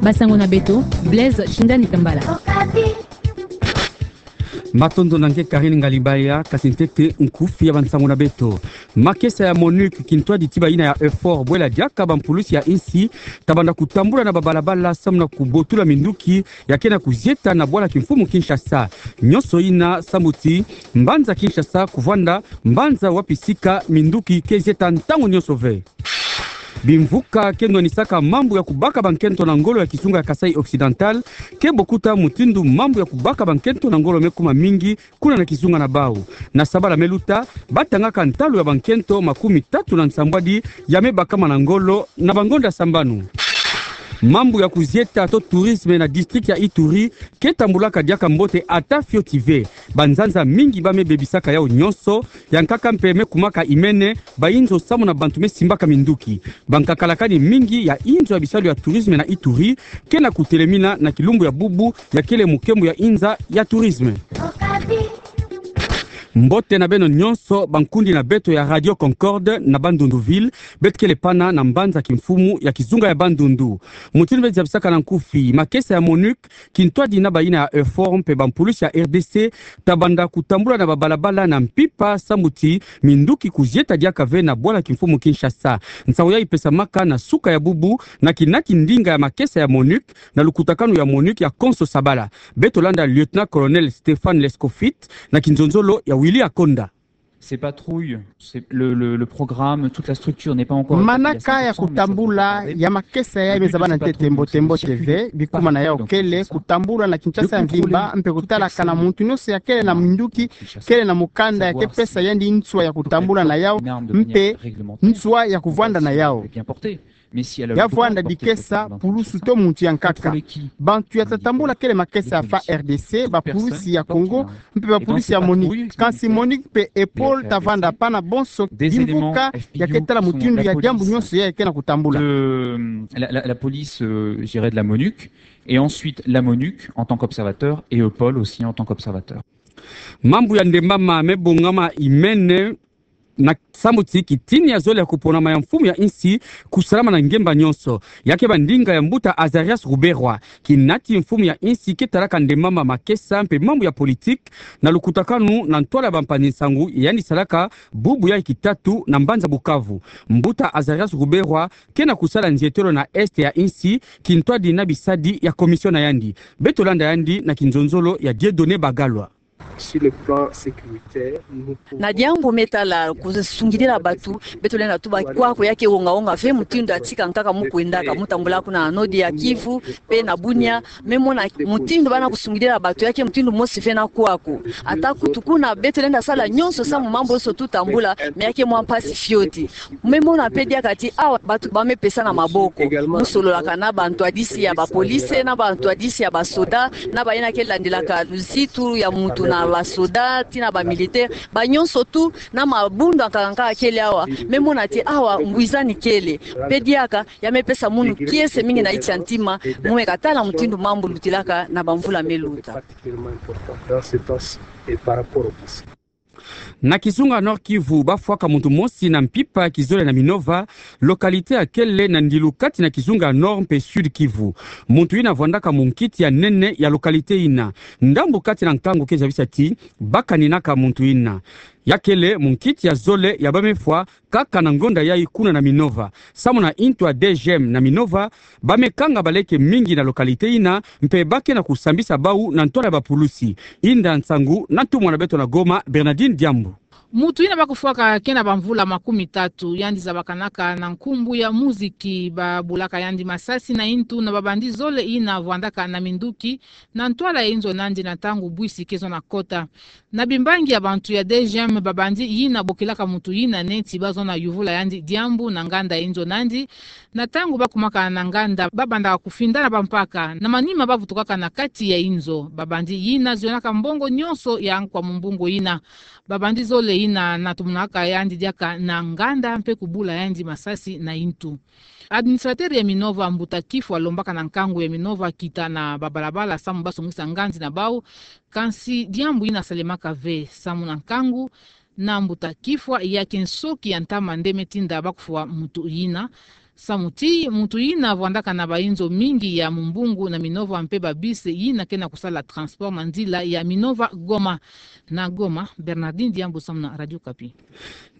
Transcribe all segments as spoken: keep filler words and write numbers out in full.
Basango na beto, Blaise Shindani Tambala. Matondo na nge Karine Ngalibaya, kasi ntete nkufi ya bansango na beto. Makesa ya MONUC, kintwadi tiba yina ya EUFOR, bwela diaka bampulusi ya insi, ta banda kutambula na babalabala samu na kubotula minduki ya ke na kuzieta na bwala kimfumu Kinshasa. Nyonso yina samu ti mbanza Kinshasa kuvwanda mbanza wapi sika minduki ke zieta ntangu nyonso ve. Bimvuka ke nwanisaka mambu ya kubaka bankento na ngolo ya kizunga ya Kasaï Occidental ke bokuta mutindu mambu ya kubaka bankento na ngolo me kuma mingi kuna na kizunga na bau. Na sabala me luta, batangaka ntalu ya bankento makumi tatu na nsambwadi ya me bakama na ngolo na bangonda sambanu. Mambu ya kuzieta to tourisme na district ya Ituri ke tambulaka diaka mbote ata fioti ve. Banzanza mingi ba me bebisaka yau nyonso, ya nkaka mpe me kumaka imene, bayinzo samu na bantu me simbaka minduki. Bankakalakani mingi ya inzo ya bisalu ya tourisme na Ituri ke na kutelemina na kilumbu ya bubu ya kele mukembo ya inza ya tourisme. Mbote na beno nyonso, bankundi na beto ya Radio Concorde na Bandundu-Ville, beto kele pana na mbanza kimfumu ya kizunga ya Bandundu. Mutindu beto zabisaka na nkufi, makesa ya MONUC, kintwadi na bayina ya EUFOR mpe bampulusi ya R D C, ta banda kutambula na babalabala na mpimpa samu ti minduki kuzieta diaka ve na bwala kimfumu Kinshasa. Nsangu yayi pesamaka na suka ya bubu na kinati ndinga ya makesa ya MONUC na lukutakanu ya MONUC ya Konso Sabala. Beto landa Lieutenant-colonel Stéphane Lescoffitte na kinzonzolo ya Willy Akonda. Ces patrouilles, c'est le, le, le programme, toute la structure n'est pas encore établie à cent pour cent, mais ça devrait tarder. Manaka ya kutambula ya makesa yayi me zabana ntete mbote mbote ve, bikuma na yau kele kutambula na Kinshasa ya mvimba, mpe kutalakana muntu nyonso ya kele na minduki, kele na mukanda ya ke pesa yandi nswa ya kutambula na yau, mpe nswa ya kuvwanda na yau. Ya vwanda dikesa pulusu to muntu ya nkaka. Bantu ya ta tambula kele makesa ya F A R D C, bapulusi ya Congo, mpe bapulusi ya MONUC. Kansi MONUC mpe EUPOL ta vwanda pana bonso bimvuka ya ke tala mutindu ya diambu nyonso ya ke na kutambula. De la, la, la police, euh, je dirais de la MONUC, et ensuite la MONUC en tant qu'observateur, et EUPOL aussi en tant qu'observateur. Mambu ya ndembama me bongama imene na samu ti kitini ya zole ya kuponama ya mfumu ya insi kusalama na ngemba nyonso. Ya ke ba ndinga ya mbuta Azarias Ruberwa, kinati mfumu ya insi ke talaka ndembama, makesa mpe mambu ya politique na lukutakanu na ntwala ya bampanzi nsangu yandi salaka bubu ya kitatu na mbanza Bukavu. Mbuta Azarias Ruberwa ke na kusala nzietelo na Est ya insi, kintwadi na bisadi ya commission na yandi. Beto landa yandi na kinzonzolo ya Dieudonné Bagalwa. Sur le plan sécuritaire, nous pouvons... Na diambu me tala kusungidila batu, beto lenda tuba kwaku ya ke wonga-wonga ve mutindu Atika nkaka mu kwendaka, mu tambula kuna na nord ya Kivu mpe na Bunia, me mona mutindu bana kusungidila batu ya ke mutindu mosi ve na kwaku. Ata kutu kuna beto lenda sala nyonso samu mambu nyonso tutambula, mais ya ke mwa mpasi fioti. Me mona mpe diaka ti awa batu ba me pesana maboko. Mu sololaka na bantwadisi ya bapolice, na bantwadisi ya basoda, na bayina ke landilaka luzitu ya muntu na basoda, tii na bamilitaire, banyonso tout, na mabundu ya nkaka nkaka kele awa. Me mona ti awa ngwizani kele. Mpe diaka, ya me pesa munu kiese mingi na nti ya ntima, mu me katala mutindu mambu lutilaka na bamvula me luta. Na kizunga Nord-Kivu, ba fwaka muntu mosi na mpimpa ya kizole na Minova, localité ya kele na ndilu kati na kizunga Nord mpe Sud-Kivu. Muntu yina vwandaka munkiti ya nene ya localité yina. Ndambu kati na nkangu ke zabisa ti ba kaninaka muntu yina. Ya kele munkiti ya zole ya ba me fwa kaka na ngonda yayi kuna na Minova. Samu na ntu ya D G M na Minova, ba me kanga baleke mingi na localité yina, mpe ba ke na kusambisa bau na ntwala ya bapulusi. Inda nsangu na ntumwa na beto na Goma, Bernardine Diambu. Muntu yina ba kufwaka ke na bamvula makumi tatu, yandi zabakanaka na nkumbu ya muziki, ba bulaka yandi masasi na ntu na babandi zole yina vwandaka na minduki na ntwala ya inzo na yandi na ntangu bus ke zo na kota. Na bimbangi ya bantu ya D G M, babandi yina bokilaka muntu yina neti ba zo na yuvula yandi diambu na nganda ya inzo na yandi. Na ntangu ba kumaka na nganda, ba bandaka kufindana bampaka. Na manima ba vutukaka na kati ya inzo. Babandi yina zionaka mbongo nyonso ya nkwa mumbungu yina. Babandi zole yina na tumunaka yandi diaka na nganda mpe kubula yandi masasi na ntu. Administrateur ya Minova, Mbuta Kifwa, alombaka na nkangu ya Minova kita na babalabala samu ba songisa nganzi na bau, kansi diambu yina salemaka ve. Samu na nkangu na Mbuta Kifwa, ya ke nsoki ya ntama nde me tinda ba kufwa muntu yina. Samu ti muntu yina vwandaka na bainzo mingi ya Mumbungu na Minova mpe ba bus yina ke na kusala transport na nzila ya Minova Goma. Na Goma, Bernardine Diambu samu na Radio Okapi.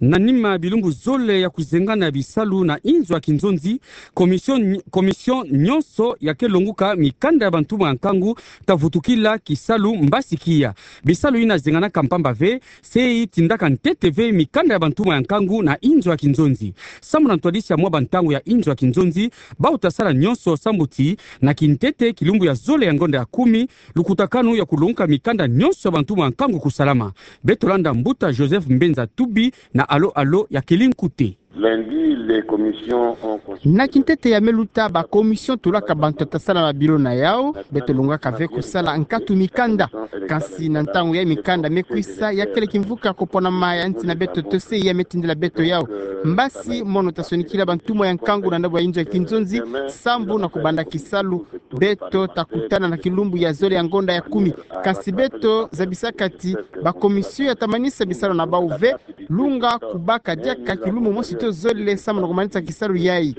Na nima bilumbu zole ya kuzengana bisalu na inzo ya kinzonzi, commission, commission nyonso ya ke longuka mikanda ya bantumwa ya nkangu ta vutukila kisalu mbasi kia. Bisalu yina zenganaka mpamba ve, se itindaka ntete ve mikanda ya bantumwa ya nkangu na inzo ya kinzonzi. Samu na ntwadisi ya mwa bantangu ya inzo ya kinzonzi, bau ta sala nyonso sambu ti na kintete kilumbu ya zole ya ngonda ya kumi, lukutakanu ya kulonguka mikanda nyonso ya bantumwa ya nkangu kusalama. Beto landa mbuta Joseph Mbenza Tubi na alo alo ya Kelly Nkute. Lundi, les commissions ont consulté. Na kintete ya me luta, ba commission tulaka bantu ta sala mabilo na yau, beto longaka ve kusala nkatu mikanda. Kansi na ntangu ya mikanda me kwisa, ya kele kimvuka koponama ya nsi na beto to se ya me tindila beto yau. Mbasi mono ta sonikila bantumwa ya nkangu na ndambu ya inzo ya kinzonzi, sambu na kubanda kisalu, beto ta kutana na kilumbu ya zole ya ngonda ya kumi. Kansi beto zabisaka ti ba commission ya ta manisa bisalu na bau ve, lunga kubaka diaka kilumbu mosi to zole samu na kumanisa kisalu yai.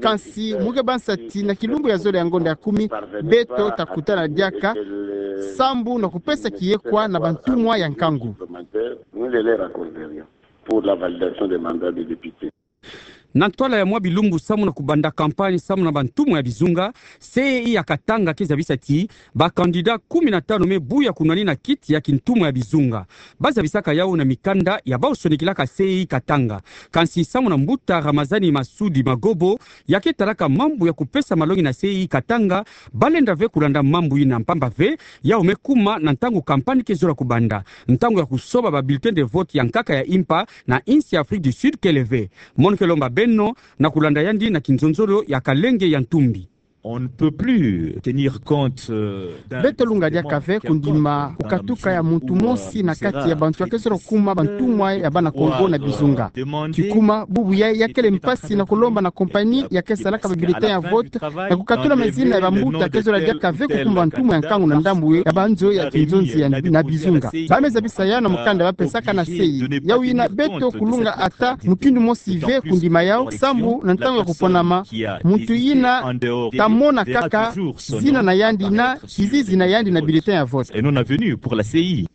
Kansi mu ke bansa ti na kilumbu ya zole ya ngonda ya kumi, beto ta kutana diaka sambu na kupesa kiyekwa na bantumwa ya nkangu. Nous les leur accorderions pour la validation des mandats de députés. Na ntwala ya mwa bilumbu samu na kubanda campagne samu na bantumwa ya bizunga, C E I ya Katanga ke zabisa ti ba candidat kumi na tanu me buya kunwanina kiti ya kintumwa ya bizunga. Ba zabisaka yau na mikanda ya bau sonikilaka C E I Katanga. Kansi samu na mbuta Ramazani Masudi Magobo, ya ke talaka mambu ya kupesa malongi na C E I Katanga, ba lenda ve kulanda mambu yina mpamba ve, yau me kuma na ntangu campagne ke zola kubanda. Ntangu ya kusoba ba bulletin de vote ya nkaka ya impa na insi ya Afrique du Sud kele ve. Mono ke lomba beno na kulanda yandi na kinzonzolo ya Kalenge ya Ntumbi. On ne peut plus tenir compte, euh, d'un... Beto lunga diaka ve kundima kukatuka ya muntu mosi na kati ya bantu ya ke zola kuma bantumwa ya bana Kongo na bizunga. Ti kuma bubu yai ya kele mpasi na kulomba na compagnie ya ke salaka ba bulletin ya vote na kukatula mazina ya bambuta ya ke zola diaka ve kukuma bantumwa ya nkangu na ndambu ya banzo ya kinzonzi ya na bizunga. Ba me zabisa yau na mukanda ba pesaka na C E I. Yau yina beto kulunga ata mutindu mosi ve kundima yau, sambu na ntangu ya kuponama, muntu yina ta mona kaka zina na yandi na kizizi na yandi na bulletin ya vote. Et non avenue pour la C E I.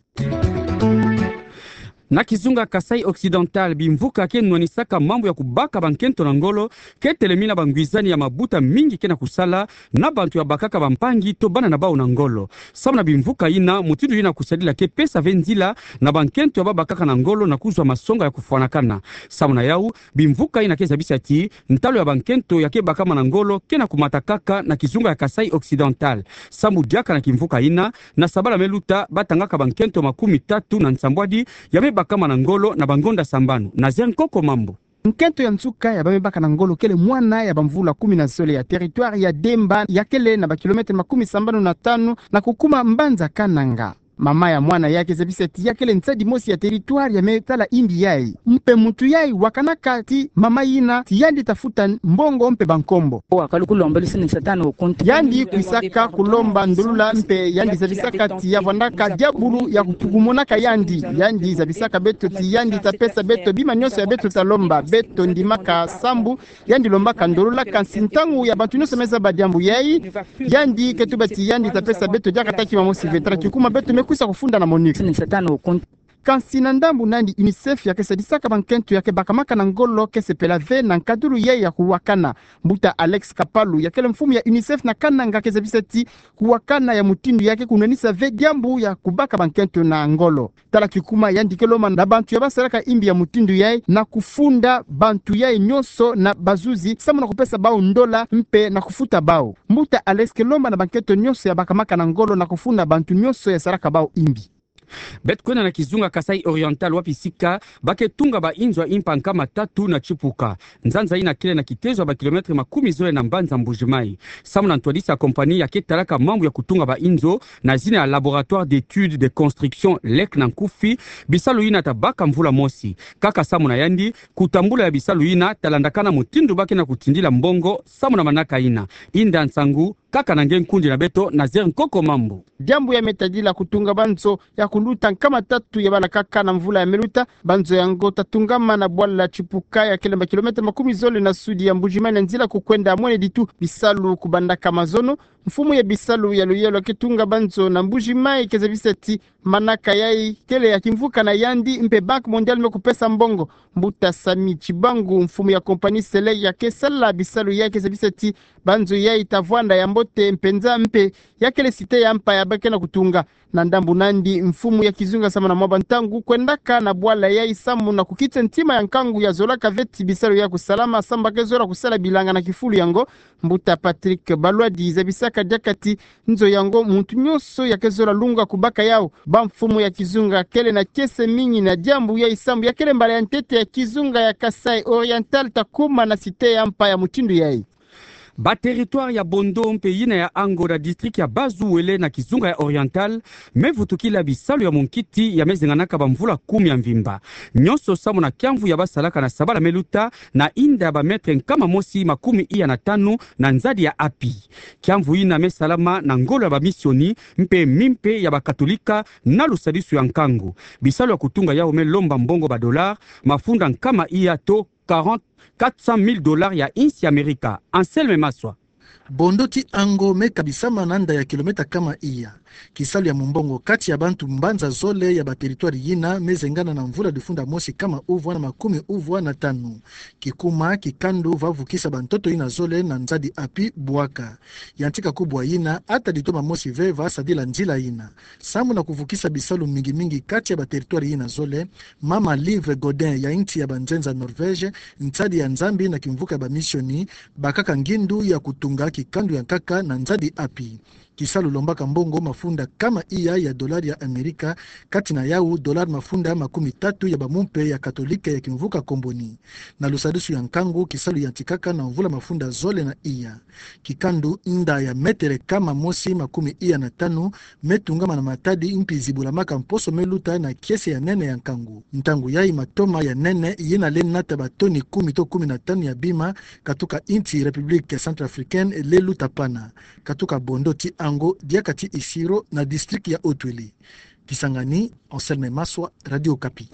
Na kizunga Kasaï Occidental, bimvuka ke nwanisaka mambu ya kubaka bankento na ngolo ke telemina bangwizani ya mabuta mingi ke na kusala na bantu ya bakaka bampangi to bana na bau na ngolo. Samu na bimvuka yina, mutindu yina kusadila ke pesa ve nzila na bankento ya ba bakaka na ngolo na kuzwa masonga ya kufwanakana. Samu na yau, bimvuka yina ke zabisa ti ntalu ya bankento ya ke bakama na ngolo ke na kumata kaka na kizunga ya Kasaï Occidental. Sambu diaka na kimvuka yina, na sabala me luta ba tangaka bankento makumi tatu na nsambwadi ya me bakama na ngolo na bangonda sambanu. Nazaire Nkoko Mambu. Nkento ya nsuka ya ba me baka na ngolo kele mwana ya bamvula kumi na zole ya territoire ya Demba, ya kele na ba kilomètre makumi sambanu na tanu na kukuma mbanza Kananga. Mama ya mwana yai ke zabisa ti ya kele nsadi mosi ya territoire ya me tala imbi yai. Mpe muntu yai wakanaka ti mama yina ti yandi ta futa mbongo mpe bankombo. Yandi kwisaka kulomba ndolula mpe yandi zabisaka ti ya vwandaka diabulu ya kutukumonaka yandi. Yandi zabisaka beto ti yandi ta pesa beto bima nyonso ya beto ta lomba. Beto ndimaka sambu yandi lombaka ndolula, kansi ntangu ya bantu nyonso me zaba diambu yai, yandi ke tuba ti yandi ta pesa beto diaka ata kima mosi ve. Tala kikuma beto me kwisa kufunda na MONUC. Kansi na ndambu na yandi, UNICEF ya ke sadisaka bankento ya ke bakamaka na ngolo ke sepela ve na nkadulu yai ya kuwakana. Mbuta Alex Kapalu, ya kele mfumu ya UNICEF na Kananga, ke zabisa ti kuwakana ya mutindu yai ke kunwanisa ve diambu ya kubaka bankento na ngolo. Tala kikuma yandi ke lomba na bantu ya ba salaka imbi ya mutindu yai na kufunda bantu yai nyonso na bazuzi, samu na kupesa bau ndola mpe na kufuta bau. Mbuta Alex ke lomba na bankento nyonso ya bakamaka na ngolo na kufunda bantu nyonso ya salaka bau imbi. Beto kwenda na kizunga Kasaï Oriental, wapi sika ba ke tunga ba inzo ya impa nkama tatu na Tshipuka. Nzanza yina kele na kitezo ya ba kilomètre makumi zole na mbanza Mbuji-Mayi. Samu na ntwadisi ya compagnie ya ke talaka mambu ya kutunga ba inzo na zina ya Laboratoire d'études de construction, LEC na nkufi, bisalu yina ta baka mvula mosi. Kaka samu na yandi, kutambula ya bisalu yina ta landakana mutindu ba ke na kutindila mbongo samu na manaka yina. Inda Nsangu, kaka na nge nkundi na beto Nazaire Nkoko Mambu. Diambu ya me tadila kutunga banzo ya kuluta nkama tatu ya bala kaka na mvula ya me luta. Banzo yango tatungama na bwala Tshipuka ya kele mba kilomètre makumi zole na sudi ya Mbuji-Mayi, na nzila kukwenda Mweneditu. Bisalu kubandaka mazono. Mfumu ya bisalu ya luyelo ke tunga banzo na Mbuji-Mayi ke zabisa ti manaka yayi kele ya kimvuka na yandi mpe Banque Mondiale me kupesa mbongo. Mbuta Samy Tshibangu, mfumu ya compagnie Selec ya ke sala bisalu yayi, ke zabisa ti banzo yayi ta vwanda ya mbote mpenza mpe ya kele site ya mpa ya ba ke na kutunga. Na ndambu nandi, mfumu ya kizunga samu na mwa bantangu kwendaka na bwala yayi samu na kukita ntima ya nkangu ya zolaka ve ti bisalu ya kusalama samu ba ke zola kusala bilanga na kifulu yango. Mbuta Patrick Balwadi zabisaka diaka ti nzo yango muntu nyonso ya ke zola lunga kubaka yawu. Bamfumu ya kizunga kele na kiese mingi na diambu yayi samu ya kele mbala ya ntete ya kizunga ya Kasaï Oriental ta kuma na site ya mpa ya mutindu yayi. Ba territoire ya Bondo mpe yina ya Ango na district ya Bas-Uele na kizunga ya Oriental me vutukila bisalu ya munkiti ya me zenganaka bamvula kumi ya mvimba. Nyonso samu na kiamvu ya ba salaka na sabala me luta na inda ya ba mètre nkama mosi makumi iya na tanu na nzadi ya Api. Kiamvu yina me salama na ngolo ya bamisioni mpe mimpe ya bakatolika na lusadisu ya nkangu. Bisalu ya kutunga yawu me lomba mbongo ba dollars mafunda nkama iya to quarante, quatre cent mille dollars ya insi ya Amerika. Anselme Maswa. Bondo ti Ango me kabisama na nda ya kilomètre kama iya. Kisalu ya mumbongo kati ya bantu mbanza zole ya ba territoire yina me zengana na mvula difunda mosi kama uvwa na makumi uvwa na tanu. Kikuma kikandu va vukisa bantoto yina zole na nzadi Api bwaka. Yantika kubwa yina, ata ditoma mosi ve va sadila nzila yina. Samu na kuvukisa bisalu mingi mingi kati ya ba territoire yina zole, mama Liv Godin ya insi ya banzenza Norvège, nsadi ya Nzambi na kimvuka ya bamisioni, bakaka ngindu ya kutunga kikandu ya nkaka na nzadi Api. Kisalu lombaka mbongo mafunda kama iya ya dollar ya Amerika, kati na yawu dollar mafunda makumi tatu ya bamumpe ya katolika ya kimvuka Comboni. Na lusadisu ya nkangu, kisalu yantikaka na mvula mafunda zole na iya. Kikandu nda ya mètre kama mosi makumi iya na tanu me tungama na matadi mpi zibulamaka mposo me luta na kiese ya nene ya nkangu. Ntangu yayi matoma ya nene yina le nata ba toni kumi to kumi na tanu ya bima katuka insi République Centrafricaine le luta pana. Katuka Bondo ti Ango, diaka ti Isiro na district ya Haut-Uele. Kisangani, Anselme Maswa, Radio Okapi.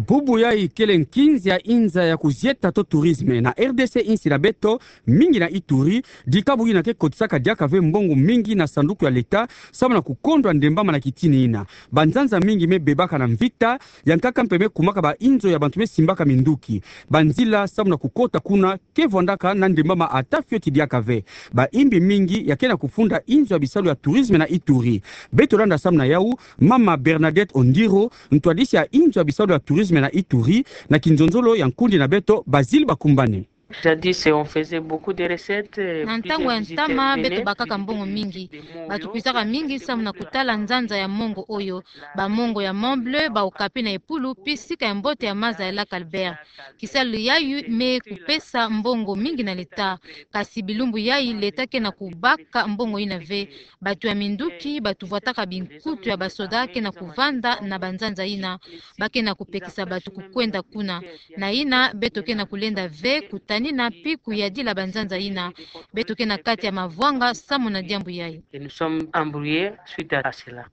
Bubu yayi kele nkinzi ya inza ya kuzieta to tourisme na R D C, insi na beto, mingi na Ituri, dikabu yina ke kotisaka diaka ve mbongo mingi na sanduku ya leta, samu na kukondwa ndembama na kitini yina. Banzanza mingi me bebaka na mvita, ya nkaka mpe me kumaka ba inzo ya bantu me simbaka minduki. Banzila samu na kukota kuna ke vwandaka na ndembama ata fioti diaka ve. Baimbi mingi ya ke na kufunda inzo ya bisalu ya tourisme na Ituri. Beto landa samu na yawu mama Bernadette Ondiro, ntwadisi ya inzo ya bisalu ya tourisme na Ituri, na kinzonzolo ya nkundi na beto Basile Bakumbane. Jadis, on faisait beaucoup de recettes. Na ntangu ya ntama, beto bakaka mbongo mingi. Batu kwizaka mingi samu na kutala nzanza ya mongo oyo, ba mongo ya Mont Blanc, ba okapi na Epulu, pi sika ya mbote ya maza ya Lac Albert. Kisalu yayi me kupesa mbongo mingi na leta. Kasi bilumbu yayi leta ke na kubaka mbongo yina ve. Batu ya minduki, batu vwataka binkutu ya basoda ke na kuvanda na banzanza yina. Ba ke na kupekisa batu kukwenda kuna. Na yina, beto ke na kulenda ve kutanina pi kuyadila banzanza yina. Beto ke na kati ya mavwanga samu na diambu yayi. Et nous sommes embrouillés suite à cela.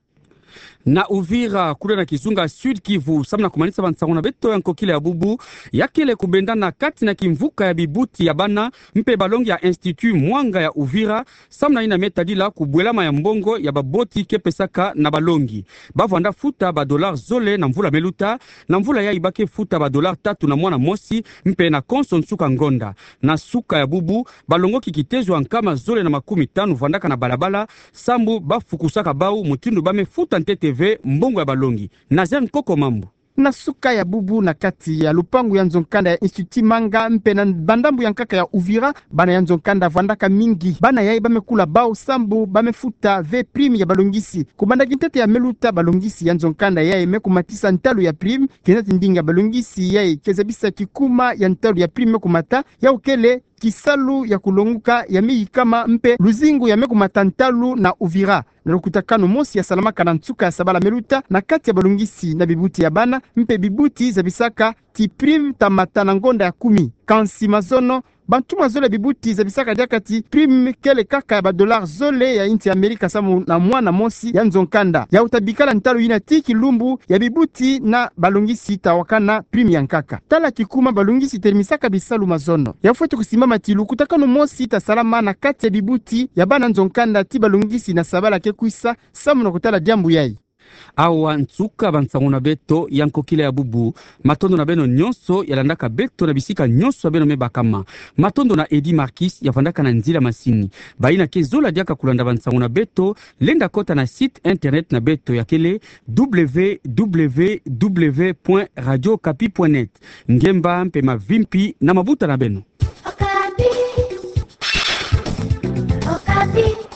Na Uvira, kuna na kizunga Sud-Kivu, samu na kumanisa bansangu na beto ya nkokila ya bubu, ya kele kubendana kati na kimvuka ya bibuti ya bana mpe balongi ya Institut Mwanga ya Uvira, samu na yina me tadila kubwelama ya mbongo ya baboti ke pesaka na balongi. Ba vwanda futa ba dollars zole na mvula me luta, na mvula yayi ba ke futa ba dollars tatu na mwana mosi, mpe na konso nsuka ngonda. Na suka ya bubu, balongoki kitezo ya nkama zole na makumi tanu vwandaka na balabala, sambu ba fukusaka bawu mutindu ba me futa ntete ve mbongo ya balongi. Nazaire Nkoko Mambu. Na suka ya bubu, na kati ya lupangu ya nzo-nkanda ya Institut Mwanga mpe na bandambu ya nkaka ya Uvira, bana ya nzo-nkanda vwandaka mingi. Bana yayi ba me kula bawu sambu ba me futa ve prime ya balongisi. Kubanda kintete ya me luta, balongisi ya nzo-nkanda yayi me kumatisa ntalu ya prime. Kina ti ndinga balongisi yayi ke zabisa kikuma ya ntalu ya prime me kumata, yawu kele kisalu ya kulonguka ya me yikama mpe luzingu ya me kumata ntalu na Uvira. na lukutakanu mosi ya salamaka na nsuka ya sabala meluta na kati ya balungisi na bibuti ya bana mpe bibuti zabisaka ti prime tamata na ngonda ya kumi. Kansi mazono, bantu mazole ya bibuti zabisaka diaka ti prime kele kaka ya ba dollars zole ya insi ya Amerika samu na mwana mosi ya nzo nkanda. Yawu tabikala ntalu yina ti kilumbu ya bibuti na balungisi tawakana prime ya nkaka. Tala kikuma balungisi teremisaka bisalu mazono. Ya fweti kusimbama ti lukutakanu mosi tasalama na kati ya bibuti ya bana nzo nkanda ti balungisi na sabala ke kwisa samu na kutala diambu yayi. Awa nsuka bansango na beto ya nkokila ya bubu. Matondo na beno nyonso ya landaka beto na bisika nyonso ya beno me bakama. Matondo na Eddy Marquis ya vandaka na nzila masini. Bayina ke zola diaka kulanda bansango na beto, lenda kota na site internet na beto ya kele www point radio okapi point net. Ngemba mpe mavimpi na mabuta na beno. Okapi. Okapi.